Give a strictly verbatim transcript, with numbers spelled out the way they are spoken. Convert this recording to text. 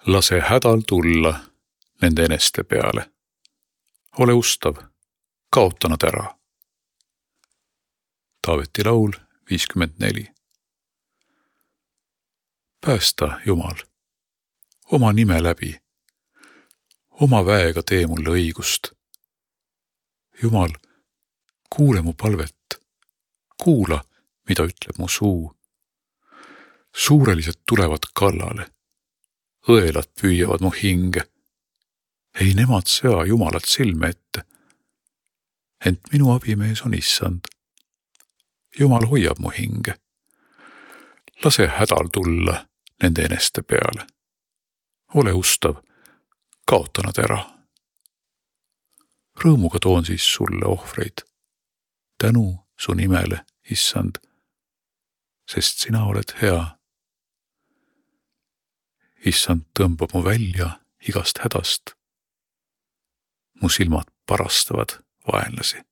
Lase hädal tulla nende eneste peale. Ole ustav, kaota nad ära. Taaveti laul viiskümmend neli. Päästa, Jumal, oma nime läbi. Oma väega tee mulle õigust. Jumal, kuule mu palvet. Kuula, mida ütleb mu suu. Suurelised tulevad kallale. Õelad püüavad mu hinge. Ei nemad sea Jumalat silme ette. Ent minu abimees on issand. Jumal hoiab mu hinge. Lase hädal tulla nende eneste peale. Ole ustav, kaota nad ära. Rõõmuga toon siis sulle ohvreid. Tänu su nimele, issand, sest sina oled hea. Issand tõmbab mu välja igast hädast. Mu silmad parastavad vaenlasi.